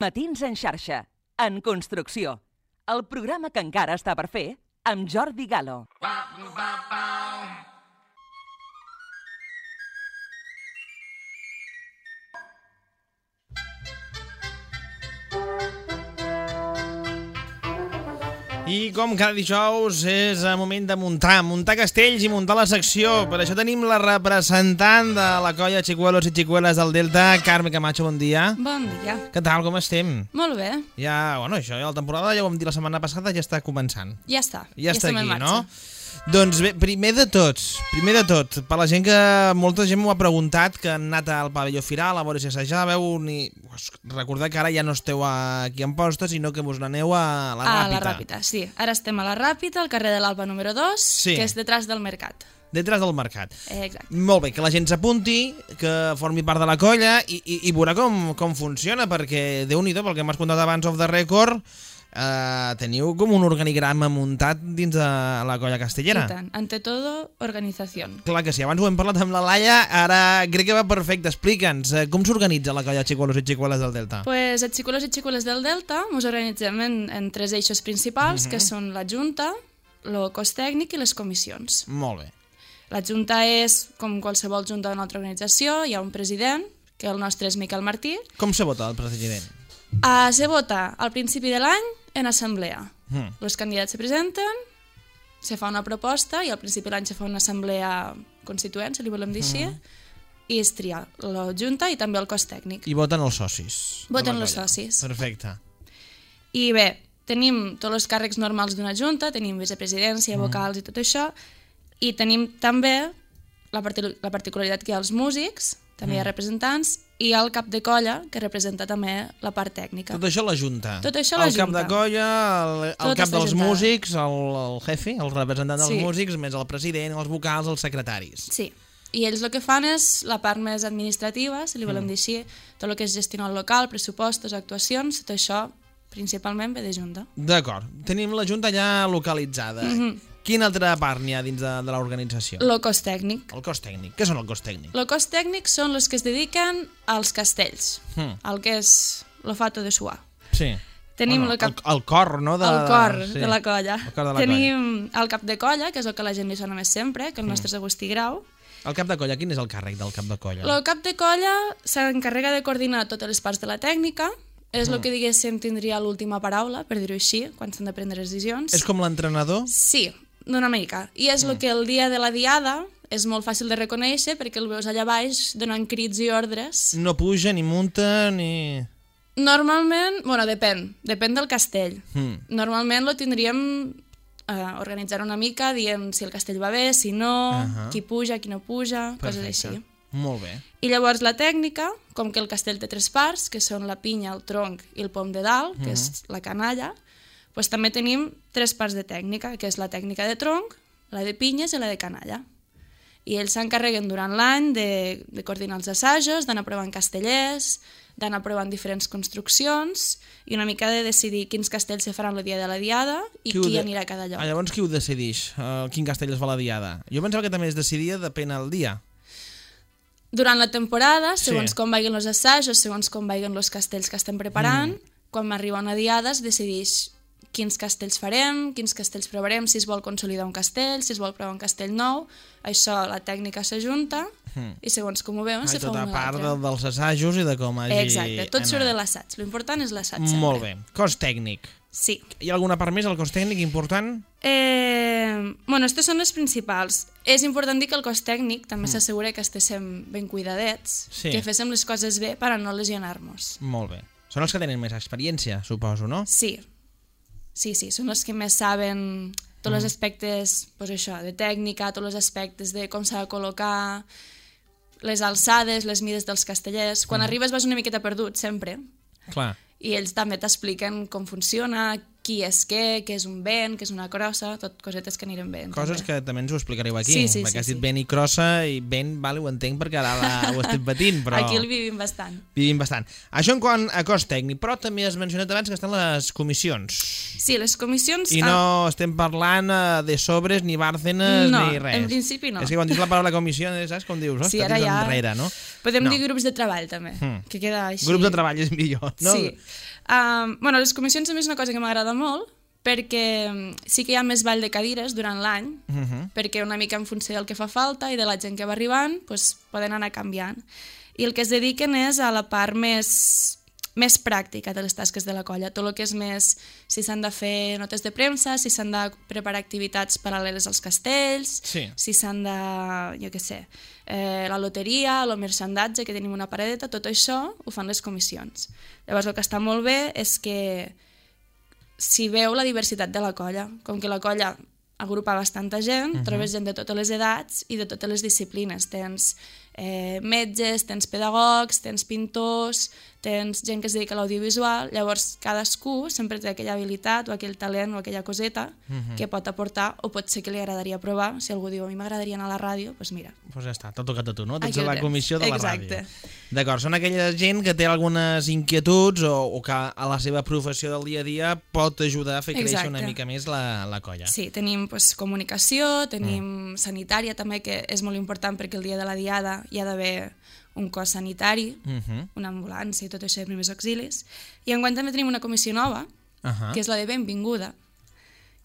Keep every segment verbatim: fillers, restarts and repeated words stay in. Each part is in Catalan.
Matins en xarxa, en construcció. El programa que encara està per fer amb Jordi Galo. I com cada dijous és el moment de muntar, muntar castells i muntar la secció. Per això tenim la representant de la colla Xicuelos i Xicueles del Delta, Carme Camacho, bon dia. Bon dia. Què tal, com estem? Molt bé. Ja, bueno, això, ja la temporada, ja ho vam dir la setmana passada, ja està començant. Ja està. Ja, ja està aquí, no? Marxa. Doncs bé, primer de tots, primer de tot, per la gent que, molta gent m'ho ha preguntat, que han anat al pavelló Firal a veure si assajàveu, ni... recordeu que ara ja no esteu aquí en posta, sinó que vos n'aneu a la Ràpita. A la Ràpita, sí. Ara estem a la Ràpita, al carrer de l'Alba número dos, sí, que és detrás del mercat. Detrás del mercat. Eh, exacte. Molt bé, que la gent s'apunti, que formi part de la colla i, i, i veurà com, com funciona, perquè Déu-n'hi-do, pel que m'has contat abans off the record, Uh, teniu com un organigrama muntat dins de la colla castellera. I tant, ante todo, organización. Clar que sí, abans ho hem parlat amb la Laia, ara crec que va perfecte. Explica'ns, uh, com s'organitza la colla Xicuelos i Xicueles del Delta? Pues els Xicuelos i Xicueles del Delta ens organitzem en, en tres eixos principals, uh-huh, que són la Junta, el cos tècnic i les comissions. Molt bé. La Junta és, com qualsevol junta d'una altra organització, hi ha un president, que el nostre és Miquel Martí. Com se vota el president? Uh, se vota al principi de l'any en assemblea. Mm. Els candidats se presenten, se fa una proposta i al principi de l'any se fa una assemblea constituent, si li volem dir així, mm. i es tria la junta i també el cos tècnic. I voten els socis. Voten els socis. Perfecte. I bé, tenim tots els càrrecs normals d'una junta, tenim vicepresidència, mm. vocals i tot això, i tenim també la, part la particularitat que hi ha els músics, també mm. hi ha representants, i el cap de colla, que representa també la part tècnica. Tot això la Junta. Tot això la el Junta. cap de colla, el, el cap dels juntada. músics, el, el jefe, el representant dels sí. músics, més el president, els vocals, els secretaris. Sí, i ells el que fan és la part més administrativa, si li volem mm. dir així, tot el que és gestionar el local, pressupostos, actuacions, tot això principalment ve de Junta. D'acord, tenim la Junta ja localitzada. Mm-hmm. Quina altra part n'hi ha dins de, de l'organització? El cos tècnic. El cos tècnic. Què són el cos tècnic? El cos tècnic són els que es dediquen als castells, mm. el que és l'olfato de suar. Sí. Tenim bueno, el, cap... el, el cor, no? De... El cor sí. de la colla. El cor de la Tenim colla. El cap de colla, que és el que la gent li sona més sempre, que el nostre mm. és Agustí Grau. El cap de colla, quin és el càrrec del cap de colla? El cap de colla s'encarrega de coordinar totes les parts de la tècnica, és el mm. que diguéssim tindria l'última paraula, per dir-ho així, quan s'han de prendre decisions. És com l'entrenador? Sí, d'una mica. I és el mm. que el dia de la diada és molt fàcil de reconèixer perquè el veus allà baix donant crits i ordres. No puja, ni munta, ni... Normalment, bueno, depèn, depèn del castell. Mm. Normalment lo tindríem eh, organitzar una mica, dient si el castell va bé, si no, uh-huh. qui puja, qui no puja, perfecte. Coses així. Molt bé. I llavors la tècnica, com que el castell té tres parts, que són la pinya, el tronc i el pom de dalt, que uh-huh. és la canalla, pues també tenim tres parts de tècnica, que és la tècnica de tronc, la de pinyes i la de canalla. I ells s'encarreguen durant l'any de, de coordinar els assajos, d'anar provant castellers, d'anar provant diferents construccions i una mica de decidir quins castells se faran el dia de la diada i qui, qui de... anirà a cada lloc. Ah, llavors qui ho decideix? Uh, quin castell es fa la diada? Jo pensava que també es decidia depèn del dia. Durant la temporada, segons sí. com vagin els assajos, segons com vagin els castells que estem preparant, mm. quan arriba una diada es decideix quins castells farem, quins castells provarem, si es vol consolidar un castell, si es vol provar un castell nou, això la tècnica s'ajunta mm. i segons com ho veuen ah, se fa una tota part de, dels assajos i de com hagi... Exacte, tot anat. Surt de l'assaig, l'important és l'assaig sempre. Molt bé, cos tècnic. Sí. Hi ha alguna part més al cos tècnic important? Eh, bueno, aquestes són les principals. És important dir que el cos tècnic també mm. s'assegura que estiguem ben cuidadets, sí. que féssim les coses bé per a no lesionar-nos. Molt bé. Són els que tenen més experiència, suposo, no? Sí. Sí, sí, són els que més saben tots els aspectes, pues això, de tècnica, tots els aspectes de com s'ha de col·locar, les alçades, les mides dels castellers. Quan mm. arribes vas una miqueta perdut, sempre. Clar. I ells també t'expliquen com funciona, qui és què, què és un vent, què és una crossa, tot cosetes que anirem bé. Coses també. Que també ens ho explicareu aquí, sí, sí, perquè sí, has dit sí. vent i crossa, i vent, vale, ho entenc perquè ara la, ho estem patint, però... Aquí el vivim bastant. Vivim bastant. Això en quant a cos tècnic, però també has mencionat abans que estan les comissions. Sí, les comissions... I no ah. estem parlant uh, de sobres, ni bàrcenes, no, ni res. No, en principi no. És que quan dius la paraula comissió, saps com dius? Sí, ara ja... Enrere, no? Podem no. dir grups de treball, també, hmm. que queda així... Grups de treball és millor, no? Sí. Um, bueno, les comissions a mi és una cosa que m'agrada molt, perquè sí que hi ha més ball de cadires durant l'any, uh -huh. perquè una mica en funció del que fa falta i de la gent que va arribant, pues, poden anar canviant. I el que es dediquen és a la part més, més pràctica de les tasques de la colla, tot el que és més si s'han de fer notes de premsa, si s'han de preparar activitats paral·leles als castells, sí. si s'han de, jo què sé, eh, la loteria, el merchandatge, que tenim una paradeta, tot això ho fan les comissions. Llavors el que està molt bé és que si veu la diversitat de la colla, com que la colla agrupa bastanta gent, uh -huh. trobes gent de totes les edats i de totes les disciplines. Tens eh, metges, tens pedagogs, tens pintors, tens gent que es dedica a l'audiovisual, llavors cadascú sempre té aquella habilitat o aquell talent o aquella coseta uh -huh. que pot aportar o pot ser que li agradaria provar. Si algú diu, a mi m'agradaria anar a la ràdio, doncs mira. Doncs pues ja està, t'ha tocat a tu, no? Tens Aquí la comissió de la Exacte. ràdio. D'acord, són aquella gent que té algunes inquietuds o, o que a la seva professió del dia a dia pot ajudar a fer créixer Exacte. una mica més la, la colla. Sí, tenim pues, comunicació, tenim mm. sanitària també, que és molt important perquè el dia de la diada hi ha d'haver un cos sanitari, uh -huh. una ambulància i tot això de primers auxilis. I enguany també tenim una comissió nova, uh -huh. que és la de benvinguda.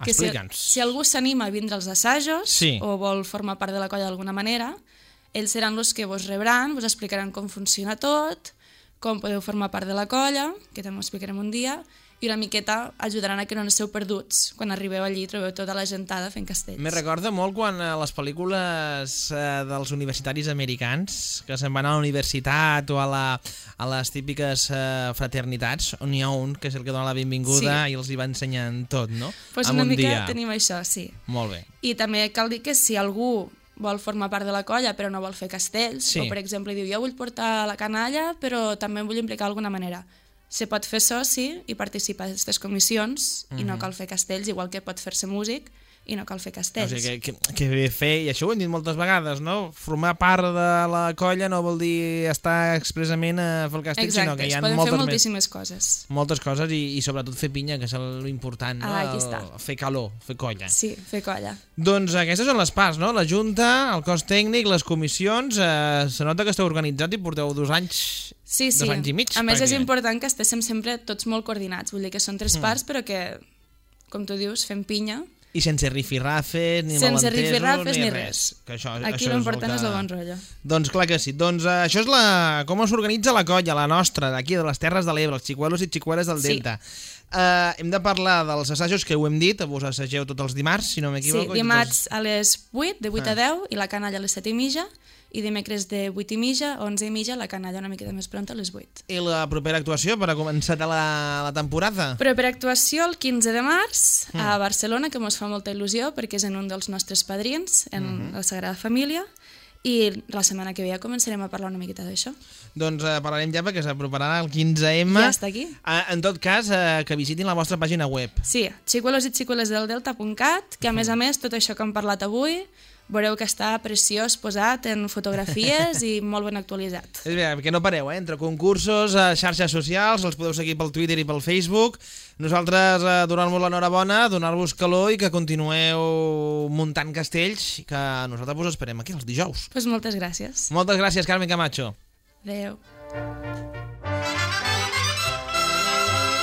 Que si, si algú s'anima a vindre als assajos sí. o vol formar part de la colla d'alguna manera, ells seran els que vos rebran, vos explicaran com funciona tot, com podeu formar part de la colla, que també ho explicarem un dia, i una miqueta ajudaran a que no esteu perduts. Quan arribeu allí trobeu tota la gentada fent castells. Me recorda molt quan a les pel·lícules eh, dels universitaris americans, que se'n van a la universitat o a, la, a les típiques eh, fraternitats, on hi ha un que és el que dona la benvinguda sí. i els hi va ensenyant tot, no? Pues en una un mica dia. Tenim això, sí. Molt bé. I també cal dir que si algú vol formar part de la colla però no vol fer castells, sí. o per exemple diu, jo vull portar la canalla però també em vull implicar d'alguna manera, se pot fer soci i participar en aquestes comissions uh -huh. i no cal fer castells, igual que pot fer-se músic i no cal fer castells. O sigui, que, que, que bé fer, i això ho hem dit moltes vegades, no? Formar part de la colla no vol dir estar expressament a fer el castell, exacte, sinó que hi ha poden moltes fer moltíssimes més, coses. moltes coses i, i sobretot fer pinya, que és l'important, no? Ah, aquí està. El, fer calor, fer colla. Sí, fer colla. Doncs aquestes són les parts, no? La Junta, el cos tècnic, les comissions, eh, se nota que esteu organitzats i porteu dos anys, sí, sí. dos anys i mig. A més perquè... és important que estiguem sempre tots molt coordinats, vull dir que són tres mm. parts però que, com tu dius, fem pinya. I sense rifirrafes, ni sense malentesos, rifirrafes, ni ni res. res. Que això, Aquí això l'important és, és el que... bon rotllo. Doncs clar que sí. Doncs uh, això és la... com s'organitza la colla, la nostra, d'aquí, de les Terres de l'Ebre, els xicuelos i xicueles del Delta. Sí. Uh, hem de parlar dels assajos que ho hem dit, vos assageu tots els dimarts, si no m'equivoco. Sí, dimarts a les vuit, de vuit ah. a deu, i la canalla a les set i mitja, i dimecres de vuit i mitja a onze i mitja, la canalla una miqueta més pronta a les vuit. I la propera actuació per a començar la, la temporada? Propera actuació el quinze de març mm. a Barcelona, que ens fa molta il·lusió perquè és en un dels nostres padrins, en mm -hmm. la Sagrada Família, i la setmana que ve ja començarem a parlar una miqueta d'això. Doncs eh, parlarem ja perquè s'aproparà el quinze eme. Ja està aquí. Eh, en tot cas, eh, que visitin la vostra pàgina web. Sí, xicuelos i xicueles del delta punt cat, que a més a més tot això que hem parlat avui veureu que està preciós posat en fotografies i molt ben actualitzat. És bé, perquè no pareu, eh? Entre concursos, xarxes socials, els podeu seguir pel Twitter i pel Facebook. Nosaltres eh, donar-vos l'enhorabona, donar-vos calor i que continueu muntant castells, que nosaltres us esperem aquí els dijous. Pues moltes gràcies. Moltes gràcies, Carmen Camacho. Adéu.